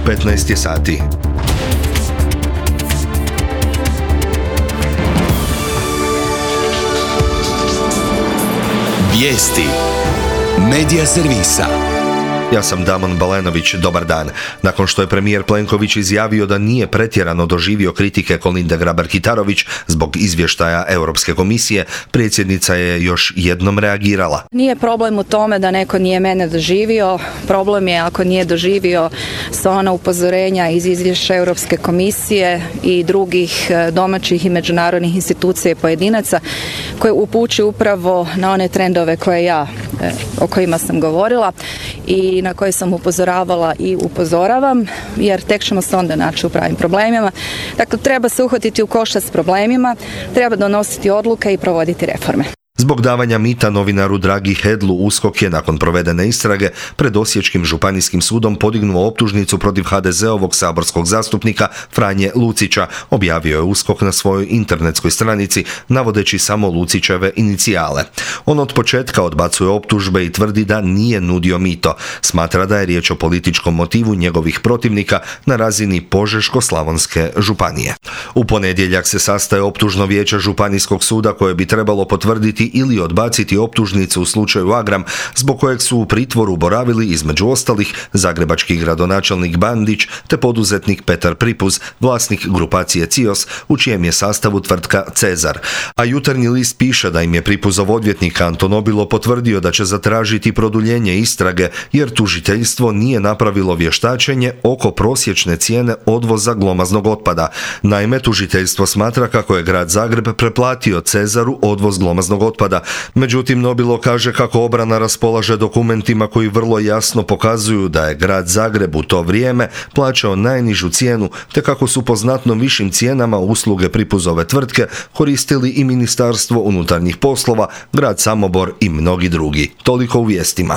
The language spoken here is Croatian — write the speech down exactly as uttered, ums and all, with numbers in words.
petnaest je sati. Vijesti Medija servisa. Ja sam Damon Balenović, dobar dan. Nakon što je premijer Plenković izjavio da nije pretjerano doživio kritike Kolinde Grabar-Kitarović zbog izvještaja Europske komisije, predsjednica je još jednom reagirala. Nije problem u tome da neko nije mene doživio, problem je ako nije doživio sva ona upozorenja iz izvješća Europske komisije i drugih domaćih i međunarodnih institucija i pojedinaca koje upućuju upravo na one trendove koje ja, o kojima sam govorila i na koje sam upozoravala i upozoravam, jer tek ćemo se onda naći u pravim problemima. Dakle, treba se uhvatiti u koštac s problemima, treba donositi odluke i provoditi reforme. Zbog davanja mita novinaru Dragi Hedlu, U S K O K je nakon provedene istrage pred Osječkim županijskim sudom podignuo optužnicu protiv ha de zeovog saborskog zastupnika Franje Lucića, objavio je U S K O K na svojoj internetskoj stranici, navodeći samo Lucićeve inicijale. On od početka odbacuje optužbe i tvrdi da nije nudio mito. Smatra da je riječ o političkom motivu njegovih protivnika na razini Požeško-slavonske županije. U ponedjeljak se sastaje optužno vijeće Županijskog suda koje bi trebalo potvrditi ili odbaciti optužnicu u slučaju Agram, zbog kojeg su u pritvoru boravili između ostalih zagrebački gradonačelnik Bandić te poduzetnik Petar Pripuz, vlasnik grupacije Cios, u čijem je sastavu tvrtka Cezar. A Jutarnji list piše da im je Pripuzov odvjetnik Anton Obilo potvrdio da će zatražiti produljenje istrage jer tužiteljstvo nije napravilo vještačenje oko prosječne cijene odvoza glomaznog otpada. Naime, tužiteljstvo smatra kako je grad Zagreb preplatio Cezaru odvoz glomaznog otpada. Međutim, Nobilo kaže kako obrana raspolaže dokumentima koji vrlo jasno pokazuju da je grad Zagreb u to vrijeme plaćao najnižu cijenu, te kako su po znatno višim cijenama usluge Pripuzove tvrtke koristili i Ministarstvo unutarnjih poslova, grad Samobor i mnogi drugi. Toliko u vijestima.